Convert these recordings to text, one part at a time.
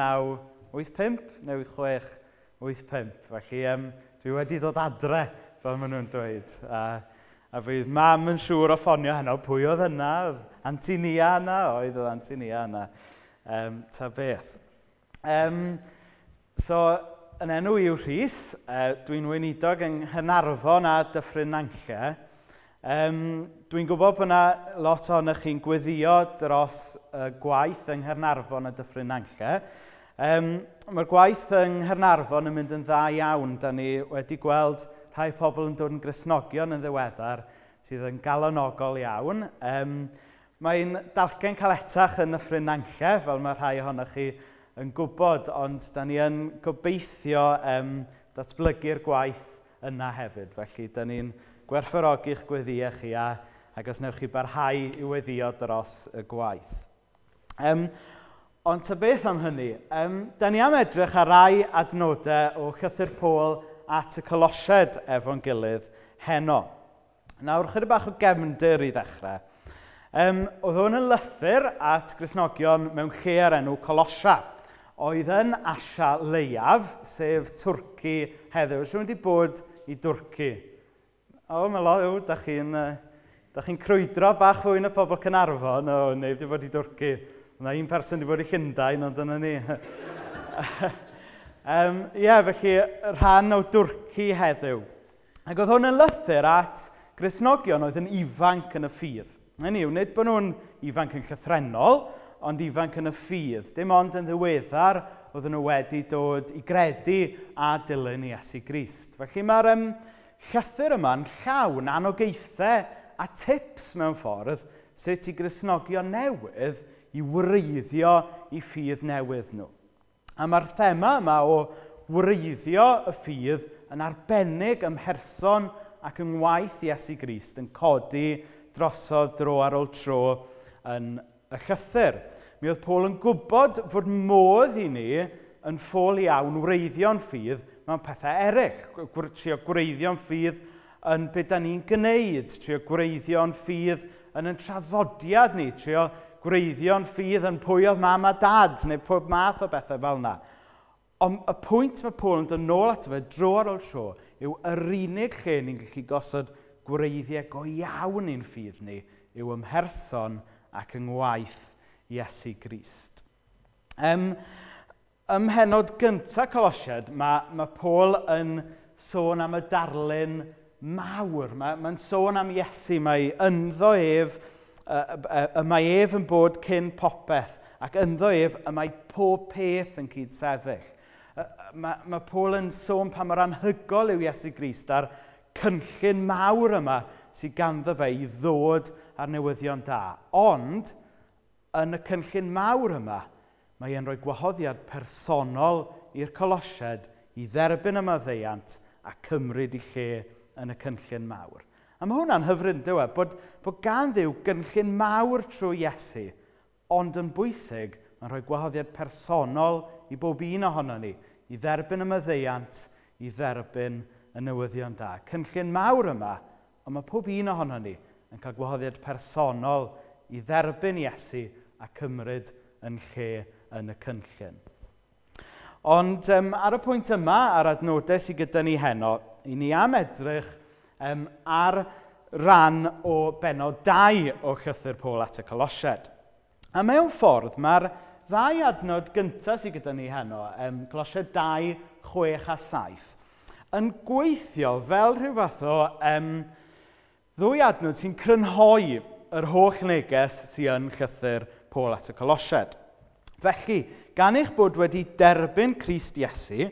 1985 neu 86, 85. Felly dwi wedi dod adre, fel maen nhw'n dweud. A fydd mam yn siŵr o ffonio heno, pwy oedd yna? Oedd Anti Nia yna? Oedd Anti Nia yna. Ta beth. So, yn enw i yw Rhys, dwi'n weinidog yng Nghaernarfon a Dyffryn Nantlle. Dwi'n gwybod bod yna lot ohonych chi'n gweddio dros y gwaith yng Nghaernarfon a Dyffryn Nantlle. Mae'r gwaith yng Nghaernarfon yn mynd yn dda iawn. Da ni wedi gweld rhai pobl yn dod yn Gristnogion yn ddiweddar sydd yn galonogol iawn. Mae'n dalcen caletach yn Nyffryn Nantlle, fel mae rhai ohonoch chi yn gwybod, ond da ni yn gobeithio datblygu'r gwaith yna hefyd. Felly, da ni'n gwerthfawrogi'ch gweddïau chi ac os wnewch chi barhau i weddïo dros y gwaith. Ond ta beth am hynny, da ni am edrych ar rai adnodau o Llythyr Paul at y Colosiaid efo'n gilydd heno. Nawr, chydig bach o gefndir i ddechrau. Oedd hwn yn lythyr at Gristnogion mewn lle ar enw Colosia, oedd yn Asia Leiaf, sef Twrci heddiw. Oes rhywun wedi bod i Dwrci? O, mae lot, o, da chi'n crwydro bach fwy na pobl Caernarfon. O, neb wedi bod i Dwrci. Mae un person wedi bod i Llundain, ond dyna ni. Ie, felly rhan o Dwrci heddiw. Ac oedd hwn yn lythyr at Gristnogion oedd yn ifanc yn y ffydd. Hynny yw, nid bod nhw'n ifanc yn llythrennol, ond ifanc yn y ffydd. Dim ond yn ddiweddar oedden nhw wedi dod i gredu a dilyn Iesu Grist. Felly mae'r llythyr yma'n llawn anogaethau a tips mewn ffordd sut i Gristnogion newydd i wreiddio i ffydd newydd nhw. A mae'r thema yma o wreiddio y ffydd yn arbennig ym mherson ac yng ngwaith Iesu Grist yn codi drosodd dro ar ôl tro yn y llythyr. Mi oedd Paul yn gwybod fod modd i ni yn ffôl iawn wreiddio'n ffydd mewn pethau eraill. Trio gwreiddio'n ffydd yn be da ni'n gwneud, trio gwreiddio'n ffydd yn ein traddodiad ni, trio gwreiddio'n ffydd yn pwy oedd mam a dad, neu pob math o bethau fel yna. Ond y pwynt mae Paul yn dod nôl ato fe dro ar ôl tro yw yr unig lle ni'n gallu gosod gwreiddiau go iawn i'n ffydd ni yw ym mherson ac yng ngwaith Iesu Grist. Ym mhennod gyntaf Colosiaid, mae Paul yn sôn am y darlun mawr. Mae'n sôn am Iesu, mae ynddo ef, y mae ef yn bod cyn popeth, ac ynddo ef y mae pob peth yn cyd-sefyll. Mae Paul yn sôn pa mor anhygoel yw Iesu Grist a'r cynllun mawr yma sydd ganddo fe i ddod ar newyddion da. Ond, yn y cynllun mawr yma, mae e'n rhoi gwahoddiad personol i'r Colosiaid i dderbyn y maddeuant a cymryd ei lle yn y cynllun mawr. A mae hwnna'n hyfryd, dyw e, bod gan Dduw gynllun mawr trwy Iesu, ond yn bwysig, mae'n rhoi gwahoddiad personol i bob un ohono ni, i dderbyn y maddeuant, i dderbyn y newyddion da. Cynllun mawr yma, ond mae pob un ohono ni yn cael gwahoddiad personol i dderbyn Iesu a cymryd yn lle yn y cynllun. Ond ar y pwynt yma, ar adnodau sydd gyda ni heno, i ni am edrych ar ran o bennod 2 o Llythyr Paul at y Colosiaid. A mewn ffordd, mae'r ddau adnod gyntaf sydd gyda ni heno, Colosiaid 2, 6 a 7, yn gweithio fel rhyw fath o ddwy adnod sy'n crynhoi yr holl neges sydd yn Llythyr Paul at y Colosiaid. Felly, gan eich bod wedi derbyn Crist Iesu,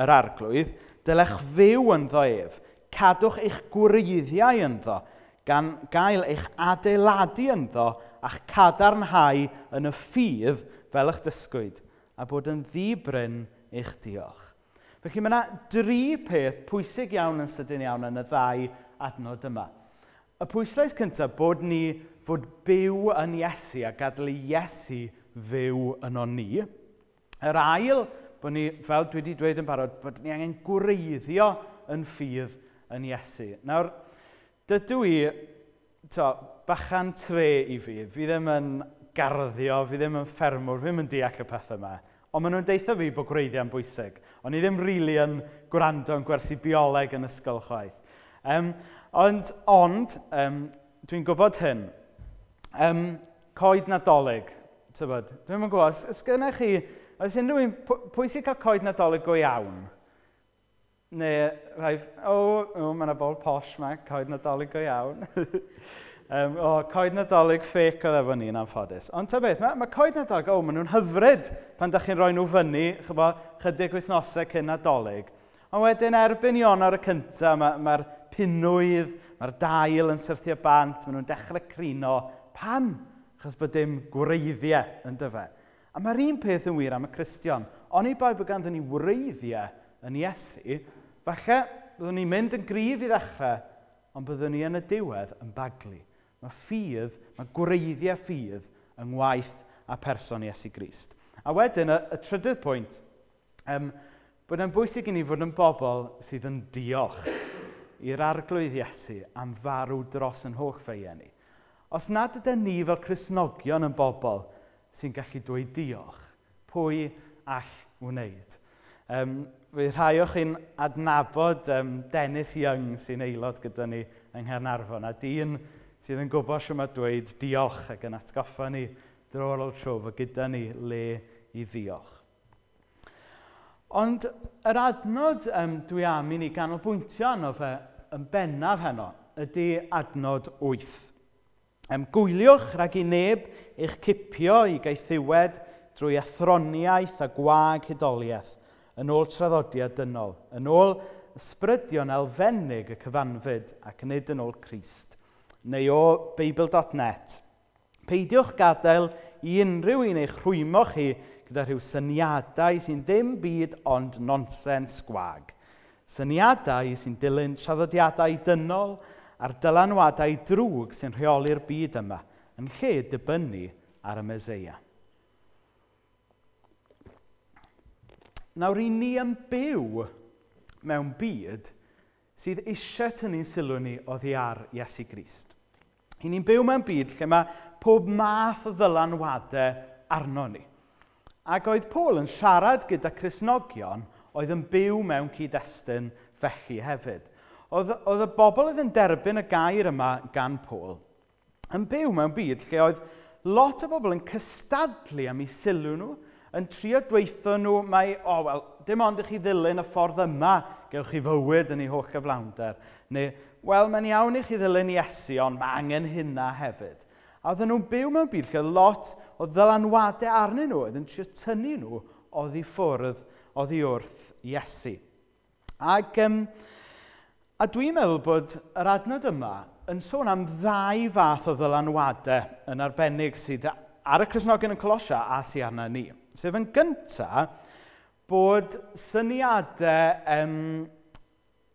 yr Arglwydd, dylech fyw ynddo ef, cadwch eich gwreiddiau ynddo, gan gael eich adeiladu ynddo a'ch cadarnhau yn y ffydd fel eich dysgwyd, a bod yn ddi-bryn eich diolch. Felly mae yna dri peth pwysig iawn yn sydyn iawn yn y ddau adnod yma. Y pwyslais cyntaf, bod ni fod byw yn Iesu a gadael i Iesu fyw yno ni. Yr ail, bod ni, fel dwi wedi dweud yn barod, bod ni angen gwreiddio yn ffydd yn Iesu. Nawr, dydw i, bachan tre i fi, fi ddim yn garddio, fi ddim yn ffermwr, fi ddim yn deall y pethau yma. Ond maen nhw'n deutha fi bod gwreiddiau'n bwysig. O'n i ddim rili yn gwrando yn gwersi bioleg yn ysgol chwaith. Ond dwi'n gwybod hyn. Coed Nadolig, tybod, dwi'm yn gwybod, os gennych chi, oes unrhyw un, pwy sy'n cael coed Nadolig go iawn? Neu rhai, o, mae yna bobl posh 'ma, coed Nadolig go iawn. O, coed Nadolig fake oedd efo ni'n anffodus. Ond ta beth, mae coed Nadolig, o, maen nhw'n hyfryd pan da chi'n rhoi nhw fyny, chybo, chydig wythnosau cyn Nadolig. Ond wedyn erbyn Ionawr y cyntaf, mae'r pinwydd, mae'r dail yn syrthio bant, maen nhw'n dechrau crino. Pam? Achos bod dim gwreiddiau yn dyfe. A mae'r un peth yn wir am y Cristion. Oni bai bod ganddyn ni wreiddiau yn Iesu, falle byddwn ni'n mynd yn gryf i ddechrau, ond byddwn ni yn y diwedd yn baglu. Mae ffydd, mae gwreiddiau ffydd yng ngwaith a person Iesu Grist. A wedyn, y trydydd pwynt, bod e'n bwysig i ni fod yn bobl sydd yn diolch i'r Arglwydd Iesu am farw dros yn holl feiau ni. Os nad ydyn ni fel Cristnogion yn bobl sy'n gallu dweud diolch, pwy all wneud? Fydd rhai o chi'n adnabod Dennis Young sy'n aelod gyda ni yng Nghaernarfon, a dyn sydd yn gwybod shwt mae dweud diolch ac yn atgoffa ni dro ar ôl tro fod gyda ni le i ddiolch. Ond yr adnod dwi am i ni ganolbwyntio arno fe yn bennaf heno ydy adnod 8. Gwyliwch rhag i neb eich cipio i gaethiwed drwy athroniaeth a gwag hudoliaeth yn ôl traddodiad dynol, yn ôl ysbrydion elfennig y cyfanfyd ac nid yn ôl Crist. Neu o Beibl.net. Peidiwch gadael i unrhyw un eich rhwymo chi gyda rhyw syniadau sy'n ddim byd ond nonsens gwag. Syniadau sy'n dilyn traddodiadau dynol a'r dylanwadau drwg sy'n rheoli'r byd yma, yn lle dibynnu ar y Meseia. Nawr, i ni yn byw mewn byd sydd eisiau tynnu'n sylw ni oddi ar Iesu Grist. I ni'n byw mewn byd lle mae pob math o ddylanwadau arno ni. Ac oedd Paul yn siarad gyda Cristnogion oedd yn byw mewn cyd-destun felly hefyd. Oedd y bobl oedd yn derbyn y gair yma gan Paul yn byw mewn byd lle oedd lot o bobl yn cystadlu am eu sylw nhw, yn trio dweutho nhw mai, o, wel, dim ond i chi ddilyn y ffordd yma, gewch chi fywyd yn ei holl gyflawnder. Neu, wel, mae'n iawn i chi ddilyn Iesu, ond mae angen hynna hefyd. A oedden nhw'n byw mewn byd lle oedd lot o ddylanwadau arnyn nhw, oedd yn trio tynnu nhw oddi ffwrdd, oddi wrth Iesu. Ac a dwi'n meddwl bod yr adnod yma yn sôn am ddau fath o ddylanwadau yn arbennig sydd ar y Cristnogion yn Colosia a sydd arna ni. Sef yn gynta bod syniadau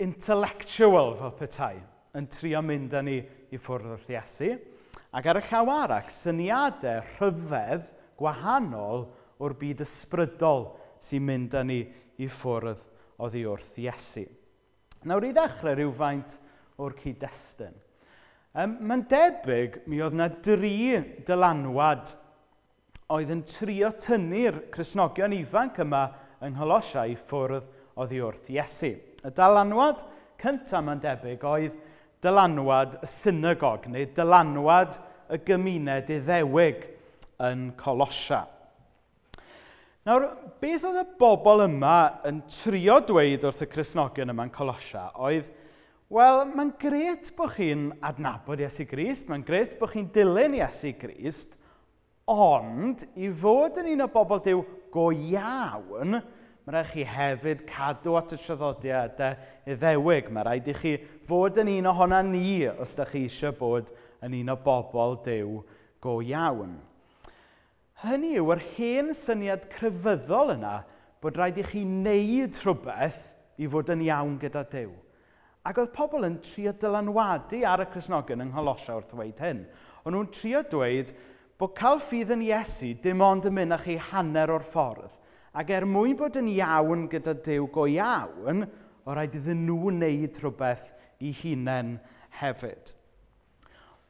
intellectual fel petai yn trio mynd â ni i ffwrdd wrth Iesu. Ac ar y llaw arall, syniadau rhyfedd gwahanol o'r byd ysbrydol sy'n mynd â ni i ffwrdd oddi wrth Iesu. Nawr i ddechrau rhywfaint o'r cyd-destun. Mae'n debyg mi oedd yna dri dylanwad oedd yn trio tynnu'r Cristnogion ifanc yma yng Ngholosia i ffwrdd oddi wrth Iesu. Y dylanwad cyntaf mae'n debyg oedd dylanwad y synagog neu dylanwad y gymuned Iddewig yn Colosia. Nawr, beth oedd y bobl yma yn trio dweud wrth y Cristnogion yma yn Colosia oedd, wel, mae'n grêt bod chi'n adnabod Iesu Grist, mae'n grêt bod chi'n dilyn Iesu Grist, ond i fod yn un o bobl Duw go iawn, mae rhaid chi hefyd cadw at y traddodiadau Iddewig. Mae rhaid i chi fod yn un ohona ni os ydych chi eisiau bod yn un o bobl Duw go iawn. Hynny yw, yr hen syniad crefyddol yna bod rhaid i chi wneud rhywbeth i fod yn iawn gyda Duw. Ac oedd pobl yn trio dylanwadu ar y Cristnogion yng Ngholosia wrth ddweud hyn. O'n nhw'n trio dweud bod cael ffydd yn Iesu dim ond yn mynd â chi hanner o'r ffordd. Ac er mwyn bod yn iawn gyda Duw go iawn, o rhaid iddyn nhw wneud rhywbeth i hunain hefyd.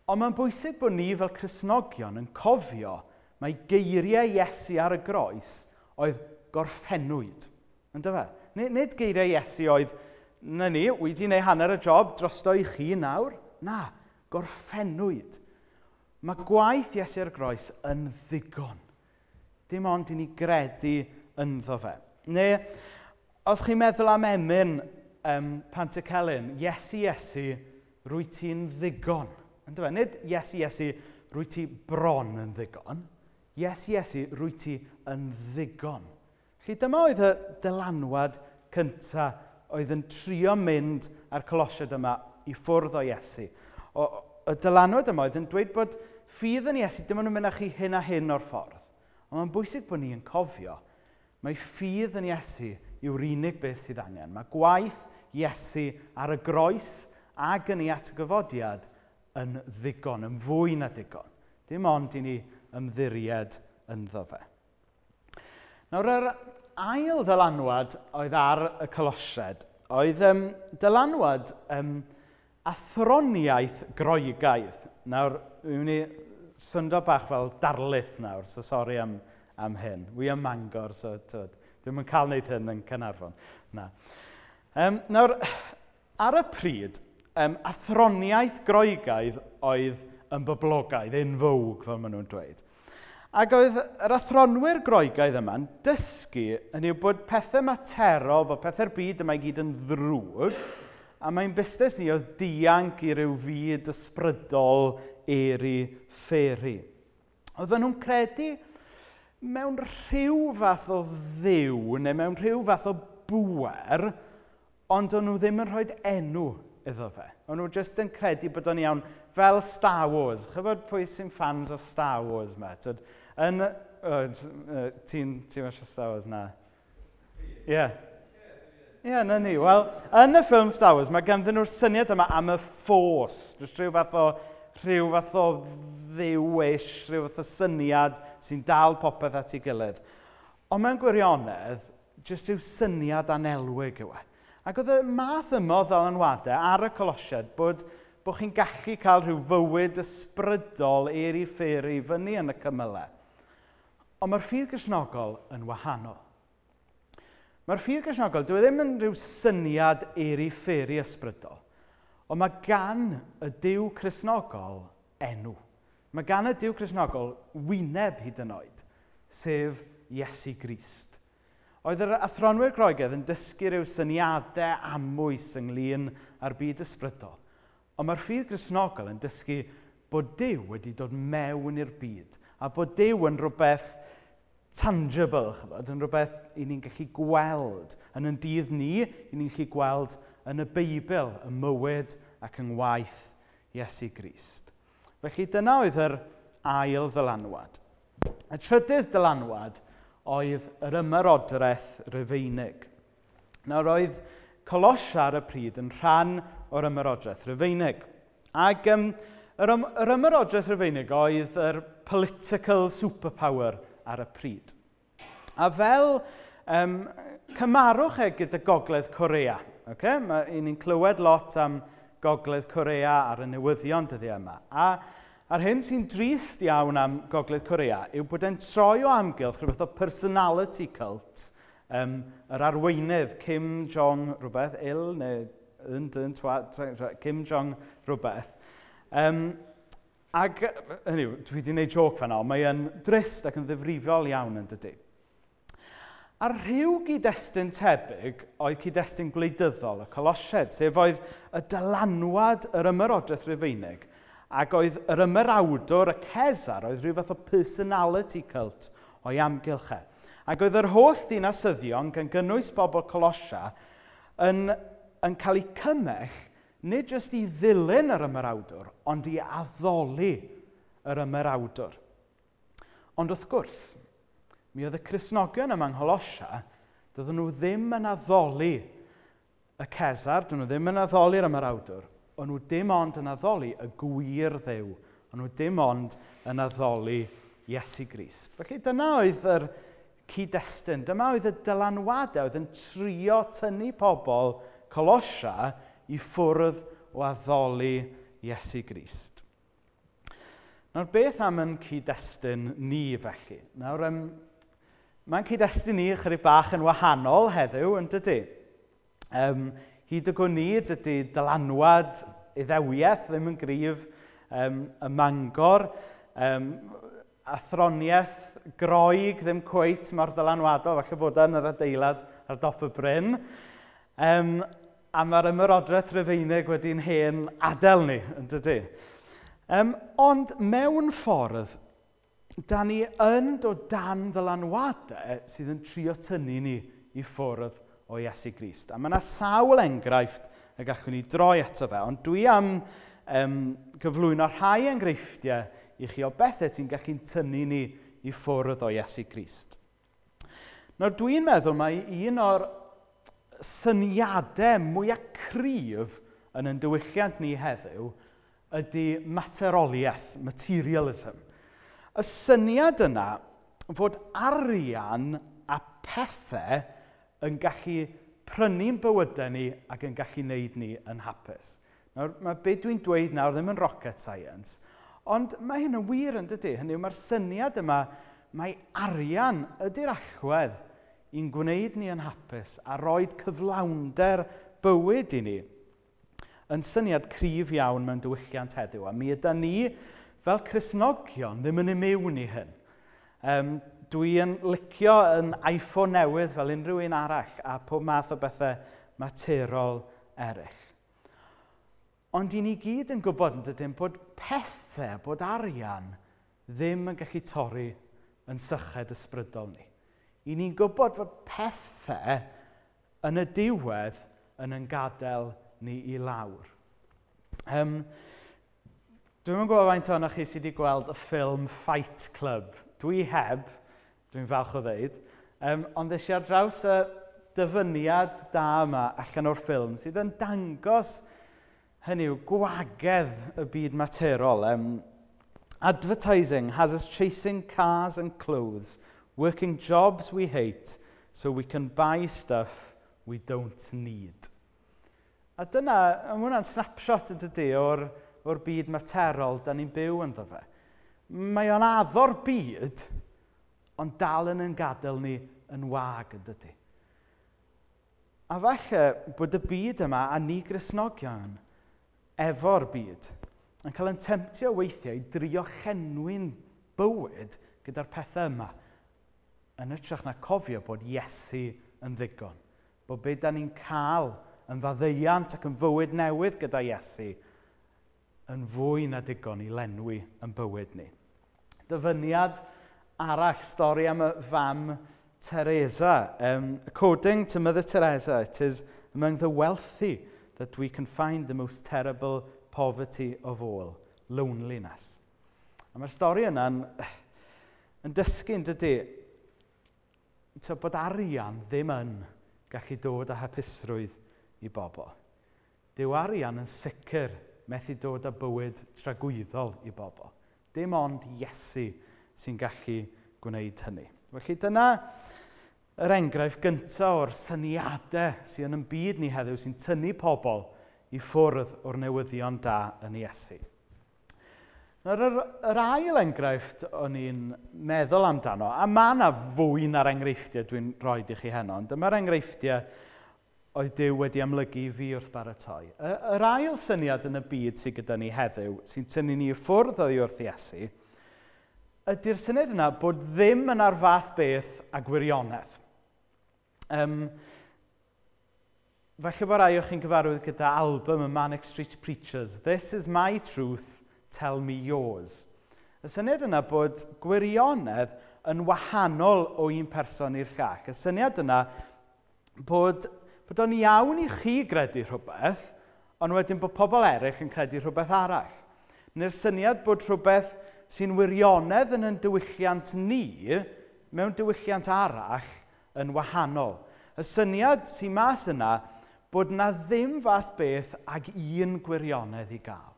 Ond mae'n bwysig bod ni fel Cristnogion yn cofio mae geiriau Iesu ar y groes oedd gorffennwyd. Yndyfe? Nid geiriau Iesu oedd, na ni, wi wedi gwneud hanner y job drosto i chi nawr. Na, gorffennwyd. Mae gwaith Iesu ar y groes yn ddigon. Dim ond i ni gredu ynddo fe. Neu, os chi'n meddwl am emyn Pantycelyn, Iesu, Iesu, rwy ti'n ddigon. Yndyfe? Nid Iesu, Iesu, rwy ti bron yn ddigon. Iesu, Iesu, rwy ti yn ddigon. Felly dyma oedd y dylanwad cyntaf oedd yn trio mynd â'r Colosiaid yma i ffwrdd o Iesu. Y dylanwad yma oedd yn dweud bod ffydd yn Iesu dim ond yn mynd â chi hyn a hyn o'r ffordd. Ond mae'n bwysig bod ni yn cofio mae ffydd yn Iesu yw'r unig beth sydd angen. Mae gwaith Iesu ar y groes ac yn ei atgyfodiad yn ddigon, yn fwy na digon. Dim ond i ni ymddiried ynddo fe. Nawr, yr ail ddylanwad oedd ar y Colosiaid oedd dylanwad athroniaeth Groegaidd. Nawr, dwi'n mynd i syndo bach fel darlith nawr, so sori am hyn. Wi ym Mangor, so twyd, dwi'm yn cael wneud hyn yn Caernarfon. Na. Nawr, ar y pryd, athroniaeth Groegaidd oedd yn boblogaidd, in vogue, fel maen nhw'n dweud. Ac oedd yr athronwyr Groegaidd yma'n dysgu yn yw bod pethau materol, bod pethau'r byd yma i gyd yn ddrwg, a mae'n busnes ni oedd dianc i ryw fyd ysbrydol eri fferi. Oedden nhw'n credu mewn rhyw fath o ddiw neu mewn rhyw fath o bŵer, ond o'n nhw ddim yn rhoi enw iddo fe. O'n nhw jyst yn credu bod o'n iawn fel Star Wars. Chybod pwy sy'n fans o Star Wars yma? Tyd, yn, oh, ti'n ti eisiau Star Wars na? Ie. Yeah. Ie, yeah, na ni. Wel, yn y ffilm Star Wars, mae ganddyn nhw'r syniad yma am y Force. Jyst rhyw fath o ddiw-ish, rhyw fath o syniad sy'n dal popeth at ei gilydd. Ond mewn gwirionedd, jyst rhyw syniad anelwig yw e. Ac oedd y math yma o ddylanwadau ar y Colosiaid bod chi'n gallu cael rhyw fywyd ysbrydol eri fferi fyny yn y cymylau. Ond mae'r ffydd Gristnogol yn wahanol. Mae'r ffydd Gristnogol, dyw e ddim yn rhyw syniad eri fferi ysbrydol, ond mae gan y Duw Cristnogol enw. Mae gan y Duw Cristnogol wyneb hyd yn oed, sef Iesu Grist. Oedd yr athronwyr Groegaidd yn dysgu rhyw syniadau amwys ynglyn â'r byd ysbrydol. Ond mae'r ffydd Gristnogol yn dysgu bod Duw wedi dod mewn i'r byd a bod Duw yn rhywbeth tangible, chybod, yn rhywbeth i ni'n gallu gweld. Yn ein dydd ni, i ni'n gallu gweld yn y Beibl, y mywyd ac yng ngwaith Iesu Grist. Felly dyna oedd yr ail ddylanwad. Y trydydd dylanwad oedd yr ymerodraeth Rufeinig. Nawr oedd Colosia ar y pryd yn rhan o'r ymerodraeth Rufeinig. Ac yr ymerodraeth Rufeinig oedd yr political superpower ar y pryd. A fel cymarwch e gyda Gogledd Corea. Okay? Ni'n clywed lot am Gogledd Corea ar y newyddion dyddiau yma. A'r hyn sy'n drist iawn am Gogledd Corea yw bod e'n troi o amgylch rhywbeth o personality cult, yr arweinydd Kim Jong rhywbeth, Il neu un dyn twa, Kim Jong rhywbeth. Ac, hynny yw, dwi wedi gwneud joc fan'na, ond mae e'n drist ac yn ddifrifol iawn yn dydy. A rhyw gyd-destun tebyg oedd cyd-destun gwleidyddol y Colosiaid, sef oedd y dylanwad yr ymerodraeth Rufeinig, ac oedd yr ymerawdwr, y Cesar, oedd rhyw fath o personality cult o'i amgylch e. Ac oedd yr holl ddinasyddion, gan gynnwys bobl Colosia, yn cael eu cymell nid jyst i ddilyn yr ymerawdwr, ond i addoli yr ymerawdwr. Ond wrth gwrs, mi oedd y Cristnogion yma yng Ngholosia, doedden nhw ddim yn addoli y Cesar, doedden nhw ddim yn addoli'r ymerawdwr, o'n nhw dim ond yn addoli y gwir Dduw, o'n nhw dim ond yn addoli Iesu Grist. Felly dyna oedd yr cyd-destun, dyma oedd y dylanwadau oedd yn trio tynnu pobl Colosia i ffwrdd o addoli Iesu Grist. Nawr, beth am yn cyd-destun ni felly? Nawr, Mae'n cyd-destun ni ychydig bach yn wahanol heddiw, yn dydy? Hyd y gwn i, dydy dylanwad Iddewiaeth ddim yn gryf ym Mangor. Athroniaeth Groeg ddim cweit mor ddylanwadol, falle bod e yn yr adeilad ar dop y bryn. A mae'r ymerodraeth Rufeinig wedi'n hen adael ni, yn dydy? Ond mewn ffordd, da ni yn dod dan ddylanwadau sydd yn trio tynnu ni i ffwrdd o Iesu Grist. A mae yna sawl enghraifft y gallwn ni droi ato fe, ond dwi am gyflwyno rhai enghreifftiau i chi o bethau sy'n gallu tynnu ni i ffwrdd o Iesu Grist. Nawr dwi'n meddwl mai un o'r syniadau mwyaf cryf yn ein diwylliant ni heddiw ydy materoliaeth, materialism. Y syniad yna fod arian a pethau yn gallu prynu'n bywydau ni ac yn gallu wneud ni yn hapus. Nawr, mae be dwi'n dweud nawr ddim yn rocket science, ond mae hyn yn wir yn dydy. Hynny yw, mae'r syniad yma, mae arian ydy'r allwedd i'n gwneud ni yn hapus a roed cyflawnder bywyd i ni yn syniad cryf iawn mewn diwylliant heddiw. A mi yda ni fel Cristnogion ddim yn imiwn i hyn. Dwi yn licio yn iPhone newydd fel unrhyw un arall a pob math o bethau materol eraill. Ond i ni gyd yn gwybod yn dydyn bod pethau, bod arian ddim yn gallu torri yn syched ysbrydol ni. I ni'n gwybod fod pethau yn y diwedd yn gadael ni i lawr. Dwi'm yn gwybod faint ohonoch chi sydd wedi gweld y ffilm Fight Club. Dwi heb, dwi'n falch o ddeud, ond es i ar draws y dyfyniad da yma allan o'r ffilm sydd yn dangos, hynny yw, gwagedd y byd materol. Advertising has us chasing cars and clothes, working jobs we hate so we can buy stuff we don't need. A dyna, mae hwnna'n snapshot yn dydy o'r byd materol da ni'n byw ynddo fe. Mae o'n addo'r byd, ond dal yn gadael ni yn wag yn dydy. A falle bod y byd yma a ni Gristnogion efo'r byd yn cael ein temtio weithiau i drio llenwi'n bywyd gyda'r pethau yma yn hytrach na cofio bod Iesu yn ddigon. Bod be da ni'n cael yn faddeuant ac yn fywyd newydd gyda Iesu yn fwy na digon i lenwi yn bywyd ni. Dyfyniad arall, stori am y fam Teresa. According to Mother Teresa, it is among the wealthy that we can find the most terrible poverty of all, loneliness. A mae'r stori yna'n yn dysgu yn dydy, bod arian ddim yn gallu dod â hapusrwydd i bobl. Dyw arian yn sicr methu dod â bywyd tragwyddol i bobl. Dim ond Iesu sy'n gallu gwneud hynny. Felly dyna yr enghraifft gyntaf o'r syniadau sydd yn ein byd ni heddiw sy'n tynnu pobl i ffwrdd o'r newyddion da yn Iesu. Nawr, yr ail enghraifft o'n i'n meddwl amdano, a mae yna fwy na'r enghreifftiau dwi'n rhoi i chi heno, ond dyma'r enghreifftiau oedd Duw wedi amlygu i fi wrth baratoi. Yr ail syniad yn y byd sydd gyda ni heddiw, sy'n tynnu ni i ffwrdd oddi wrth Iesu, ydy'r syniad yna bod ddim yn ar fath beth a gwirionedd. Falle bod rai o chi'n gyfarwydd gyda album y Manic Street Preachers. This is my truth, tell me yours. Y syniad yna bod gwirionedd yn wahanol o un person i'r llall. Y syniad yna bod o'n iawn i chi gredu rhywbeth, ond wedyn bod pobl eraill yn credu rhywbeth arall. Neu'r syniad bod rhywbeth sy'n wirionedd yn ein diwylliant ni, mewn diwylliant arall, yn wahanol. Y syniad sy'n mas yna bod na ddim fath beth ag un gwirionedd i gael.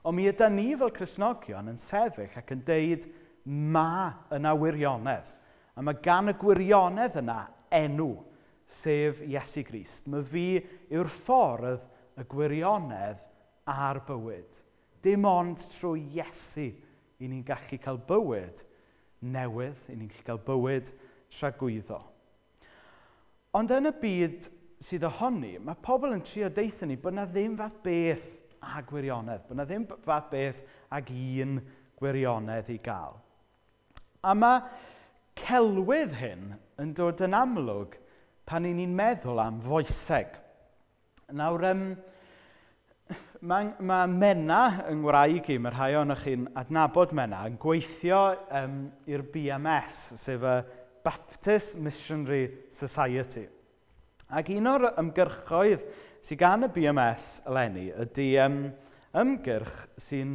Ond mi yda ni fel Cristnogion yn sefyll ac yn deud ma yna wirionedd. A mae gan y gwirionedd yna enw, sef Iesu Grist. Mae fi yw'r ffordd, y gwirionedd a'r bywyd. Dim ond trwy Iesu i ni'n gallu cael bywyd newydd, i ni'n gallu cael bywyd tragwyddo. Ond yn y byd sydd ohoni, mae pobl yn trio deitha ni bod na ddim fath beth a gwirionedd, bod na ddim fath beth ag un gwirionedd i gael. A mae celwydd hyn yn dod yn amlwg pan 'y ni'n meddwl am foeseg. Nawr, mae Menna yng ngwraig i, mae rhai ohonoch chi'n adnabod Menna, yn gweithio i'r BMS, sef y Baptist Missionary Society. Ac un o'r ymgyrchoedd sydd gan y BMS eleni ydy ymgyrch sy'n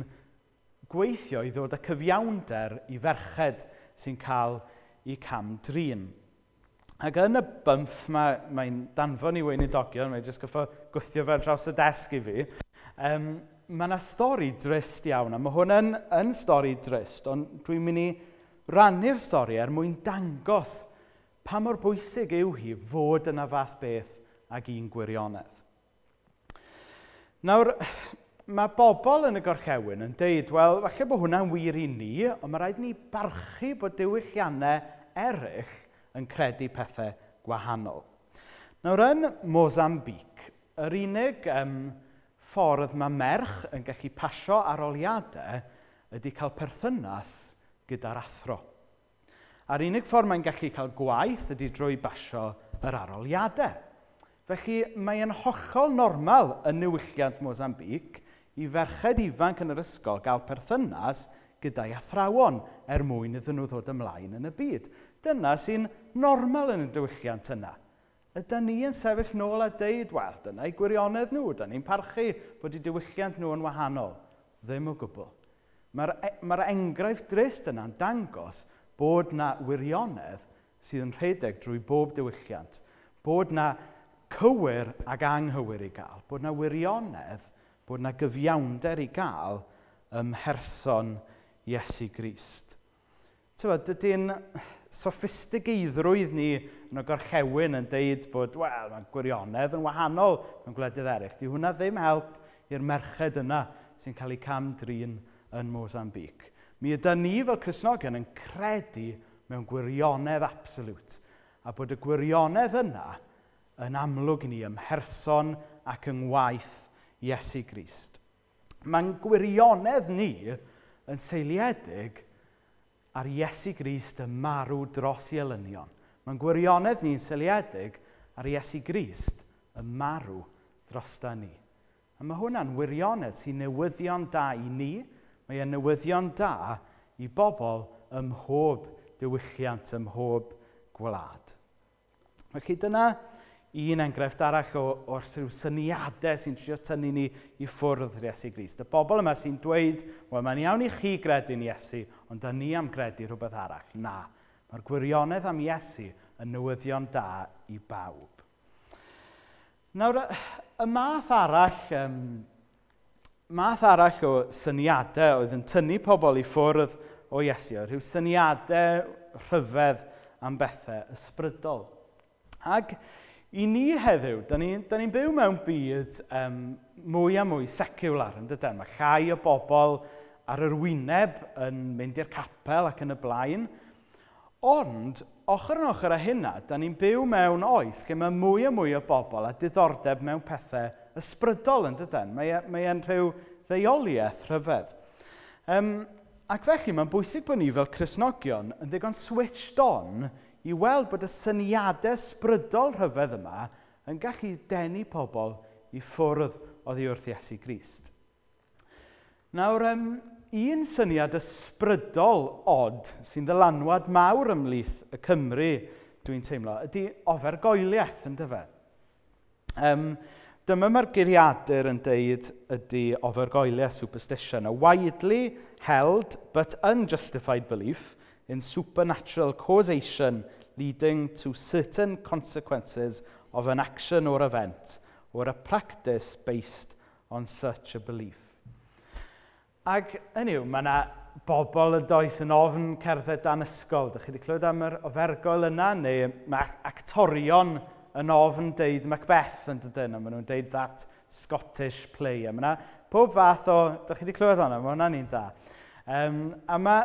gweithio i ddod â cyfiawnder i ferched sy'n cael eu cam-drin. Ac yn y bymff mae'n danfon i weinidogion, mae'n jyst goffo gwthio fe draws y desg i fi, mae yna stori drist iawn, a mae hwn yn stori drist, ond dwi'n mynd i rannu'r stori er mwyn dangos pa mor bwysig yw hi fod yna fath beth ag un gwirionedd. Nawr, mae bobl yn y gorllewin yn deud, wel, falle bod hwnna'n wir i ni, ond mae rhaid ni barchu bod diwylliannau eraill yn credu pethau gwahanol. Nawr, yn Mozambique, yr unig ffordd mae merch yn gallu pasio aroliadau ydy cael perthynas gyda'r athro. A'r unig ffordd mae'n gallu cael gwaith ydy drwy basio yr aroliadau. Felly mae'n hollol normal yn niwylliant Mozambique i ferched ifanc yn yr ysgol gael perthynas gyda'i athrawon er mwyn iddyn nhw ddod ymlaen yn y byd. Dyna sy'n normal yn y diwylliant yna. Ydy ni yn sefyll nôl a deud, wel, dyna eu gwirionedd nhw, da ni'n parchu bod eu diwylliant nhw yn wahanol. Ddim o gwbl. Mae'r enghraifft drist yna'n dangos bod na wirionedd sydd yn rhedeg drwy bob diwylliant. Bod na cywir ac anghywir i gael. Bod na wirionedd, bod na gyfiawnder i gael ym mherson Iesu Grist. Dydy'n soffistigeiddrwydd ni yn y gorllewin yn deud bod, wel, mae gwirionedd yn wahanol mewn gwledydd eraill. Dyw hwnna ddim help i'r merched yna sy'n cael eu cam-drin yn Mozambique. Mi ydy ni fel Cristnogion yn credu mewn gwirionedd absolute, a bod y gwirionedd yna yn amlwg i ni ym mherson ac yng ngwaith Iesu Grist. Mae'n gwirionedd ni yn seiliedig ar Iesu Grist yn marw dros ei elynion. Mae'n gwirionedd ni'n seiliedig ar Iesu Grist yn marw drosta ni. A mae hwnna'n wirionedd sy'n newyddion da i ni. Mae e'n newyddion da i bobl ym mhob diwylliant, ym mhob gwlad. Felly dyna un enghraifft arall o'r rhyw syniadau sy'n trio tynnu ni i ffwrdd Iesu Grist. Y bobl yma sy'n dweud, wel, mae'n iawn i chi gredu'n Iesu, ond da ni am gredu rhywbeth arall. Na, mae'r gwirionedd am Iesu yn newyddion da i bawb. Nawr, y math arall o syniadau oedd yn tynnu pobl i ffwrdd o Iesu, oedd rhyw syniadau rhyfedd am bethau ysbrydol. Ac i ni heddiw, da ni'n byw mewn byd mwy a mwy seciwlar, yn dyden? Mae llai o bobl ar yr wyneb yn mynd i'r capel ac yn y blaen. Ond, ochr yn ochr â hynna, da ni'n byw mewn oes lle mae mwy a mwy o bobl â diddordeb mewn pethau ysbrydol, yn dyden? Mae e'n rhyw ddeuoliaeth rhyfedd. Ac felly, mae'n bwysig bod ni fel Cristnogion yn ddigon switched on i weld bod y syniadau ysbrydol rhyfedd yma yn gallu denu pobl i ffwrdd oddi wrth Iesu Grist. Nawr, un syniad ysbrydol od sy'n ddylanwad mawr ymhlith y Cymry, dwi'n teimlo, ydy ofergoeliaeth, yndyfe? Dyma mae'r geiriadur yn deud ydy ofergoeliaeth, superstition, a widely held but unjustified belief in supernatural causation leading to certain consequences of an action or event or a practice based on such a belief. Ac, hynny yw, mae yna bobl yn does yn ofn cerdded dan ysgol. Dych chi wedi clywed am yr ofergoel yna? Neu mae actorion yn ofn deud Macbeth yn dydyn, a maen nhw'n deud that Scottish play. A mae yna pob fath o... Dych chi wedi clywed hwnna? Mae hwnna'n un da. A mae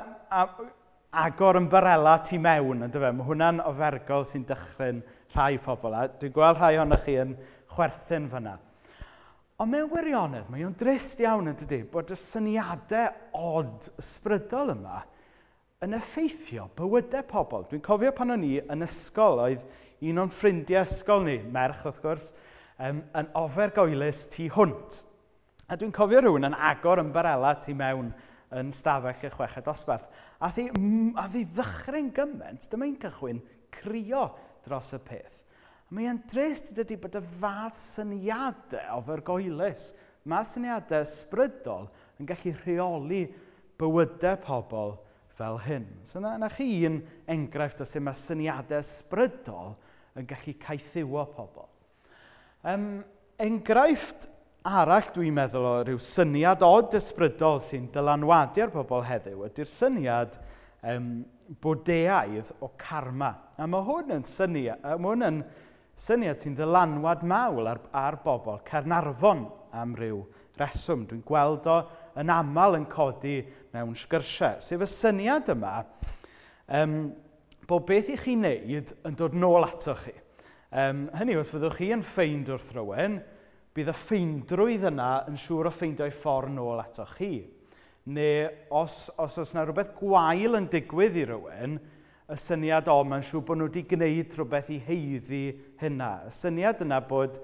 agor ymbarela tu mewn, yn dyfe? Mae hwnna'n ofergol sy'n dychryn rhai pobl. A dwi'n gweld rhai ohonoch chi yn chwerthin fyna. Ond mewn gwirionedd, mae o'n drist iawn yn dydy, bod y syniadau od ysbrydol yma yn effeithio bywydau pobl. Dwi'n cofio pan o'n i yn ysgol, oedd un o'n ffrindiau ysgol ni, merch wrth gwrs, yn ofergoelus tu hwnt. A dwi'n cofio rhywun yn agor ymbarela tu mewn yn stafell y chweched dosbarth. A thi, a thi ddychryn gymaint, dyma hi'n cychwyn crio dros y peth. A mae e'n drist dydy bod y fath syniadau ofergoelus, math syniadau ysbrydol yn gallu rheoli bywydau pobl fel hyn. So na, na chi un enghraifft o sut mae syniadau ysbrydol yn gallu caethiwo pobl. Enghraifft arall dwi'n meddwl o ryw syniad od ysbrydol sy'n dylanwadu ar pobl heddiw ydy'r syniad Bwdeaidd o karma. A mae hwn yn syniad, mae hwn yn syniad sy'n ddylanwad mawr ar bobl Caernarfon am ryw reswm. Dwi'n gweld o yn aml yn codi mewn sgyrsiau. Sef y syniad yma bod beth i chi wneud yn dod nôl ato chi. Hynny yw, os fyddwch chi yn ffeind wrth rywun, bydd y ffeindrwydd yna yn siŵr o ffeindio'i ffordd nôl ato chi. Neu os oes yna rhywbeth gwael yn digwydd i rywun, y syniad o, mae'n siŵr bod nhw wedi gwneud rhywbeth i haeddu hynna. Y syniad yna bod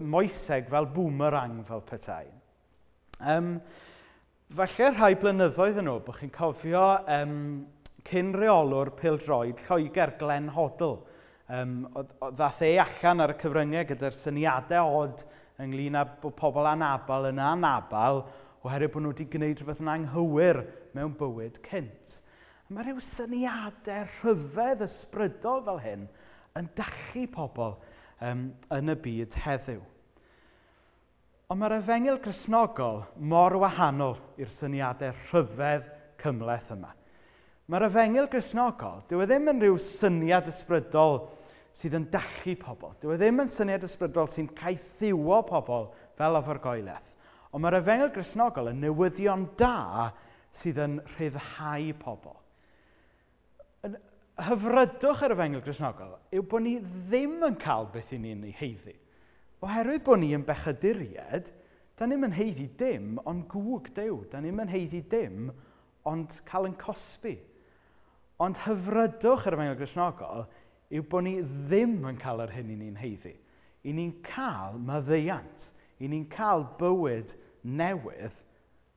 moeseg fel boomerang fel petai. Falle rhai blynyddoedd yn ôl, bod chi'n cofio cyn reolwr pêl-droed Lloegr, Glenn Hoddle. Ddath e allan ar y cyfryngau gyda'r syniadau od ynglyn â bod pobl anabl yn anabl oherwydd bod nhw wedi gwneud rhywbeth yn anghywir mewn bywyd cynt. A mae rhyw syniadau rhyfedd ysbrydol fel hyn yn dallu pobl yn y byd heddiw. Ond mae'r efengyl Gristnogol mor wahanol i'r syniadau rhyfedd cymhleth yma. Mae'r efengyl Gristnogol, dyw e ddim yn rhyw syniad ysbrydol sydd yn dallu pobl. Dyw e ddim yn syniad ysbrydol sy'n caethiwo pobl fel ofergoeledd. Ond mae'r efengyl Gristnogol yn newyddion da sydd yn rhyddhau pobl. Yn hyfrydwch yr efengyl Gristnogol yw bod ni ddim yn cael beth i ni'n ei haeddu. Oherwydd bod ni yn bechaduriaid, da ni'm yn haeddu dim ond gwg Duw. Da ni'm yn haeddu dim ond cael yn cosbi. Ond hyfrydwch yr efengyl Gristnogol yw bod ni ddim yn cael yr hyn i ni'n haeddu. I ni'n cael maddeuant. I ni'n cael bywyd newydd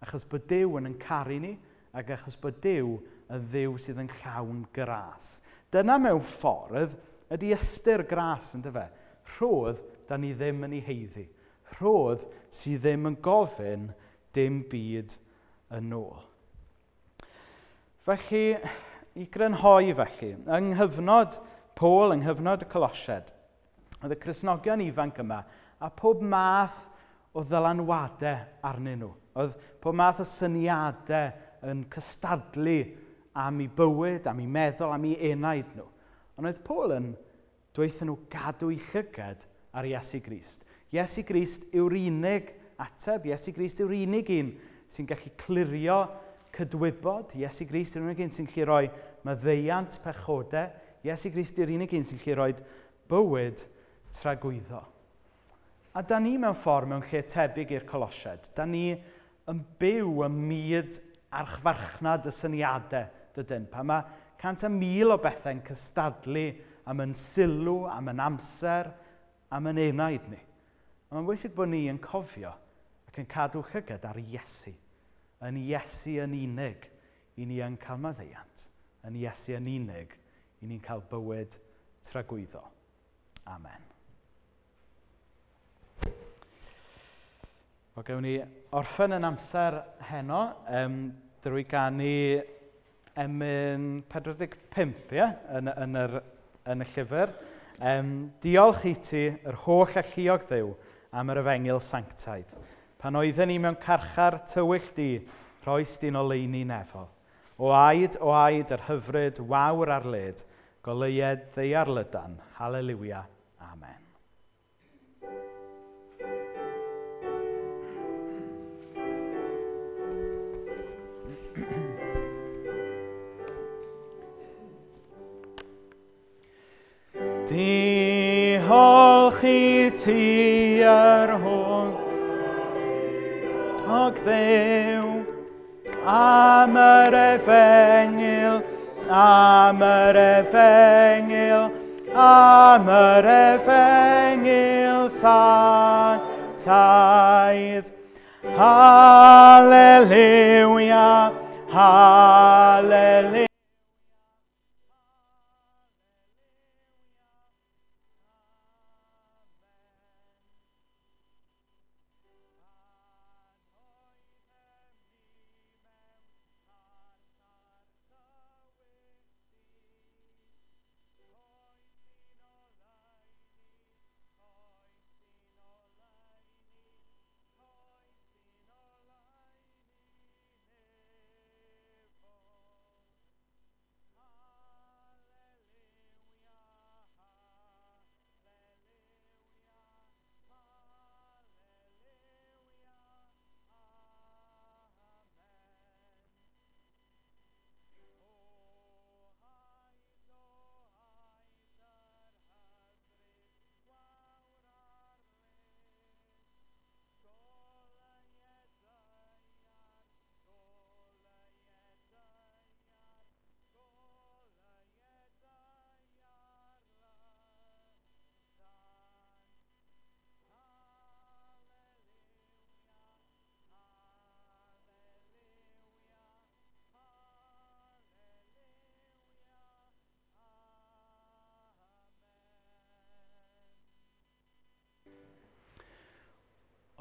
achos bod Duw yn caru ni ac achos bod Duw yn Dduw sydd yn llawn gras. Dyna mewn ffordd ydy ystyr gras, yndyfe? Rhodd da ni ddim yn ei haeddu. Rhodd sydd ddim yn gofyn dim byd yn ôl. Felly, i grynhoi felly, yng nghyfnod Paul, yng nghyfnod y Colosiaid, oedd y Cristnogion ifanc yma a pob math o ddylanwadau arnyn nhw. Oedd pob math o syniadau yn cystadlu am eu bywyd, am eu meddwl, am eu enaid nhw. Ond oedd Paul yn dweud nhw gadw eu llygad ar Iesu Grist. Iesu Grist yw'r unig ateb. Iesu Grist yw'r unig un sy'n gallu clirio cydwybod. Iesu Grist yw'r unig un sy'n gallu rhoi maddeuant pechodau. Iesu Grist yw'r unig un sy'n gallu rhoi bywyd tragwyddo. A da ni mewn ffordd mewn lle tebyg i'r Colosiaid. Da ni yn byw ym myd archfarchnad y syniadau, dydyn. Pan mae 100,000 o bethau'n cystadlu am yn sylw, am yn amser, am yn enaid ni. A mae'n bwysig bod ni yn cofio ac yn cadw llygad ar Iesu. Yn Iesu yn unig, i ni yn cael maddeuant. Yn Iesu yn unig, i ni'n cael bywyd tragwyddo. Amen. Wel, gewn ni orffen yn amser heno drwy ganu emyn 45, ie? Yn y llyfr. Diolch i ti, yr holl alluog Dduw, am yr efengyl sanctaidd. Pan oedden ni mewn carchar tywyll di, rhoes di'n oleuni nefol. O aed, yr hyfryd, wawr ar led, goleued ddaear lydan. Haleliwia. Amen. Holchi ti yr hwn. Og Dduw, am yr efengyl, am yr efengyl, am yr efengyl sanctaidd. Hallelujah, hallelujah.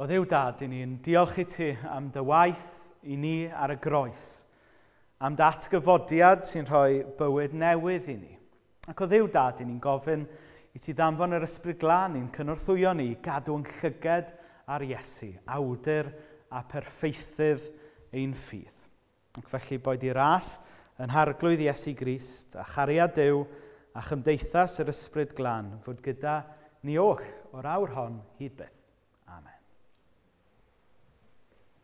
O Dduw Dad, i ni'n diolch i ti am dy waith i ni ar y groes, am dy atgyfodiad sy'n rhoi bywyd newydd i ni. Ac o Dduw Dad, i ni'n gofyn i ti ddanfon yr Ysbryd Glân i'n cynorthwyo ni i gadw'n llyged ar Iesu, awdur a perffeithydd ein ffydd. Ac felly boed i ras yn harglwydd Iesu Grist a chariad Duw a chymdeithas yr Ysbryd Glân fod gyda ni oll o'r awr hon hyd byth.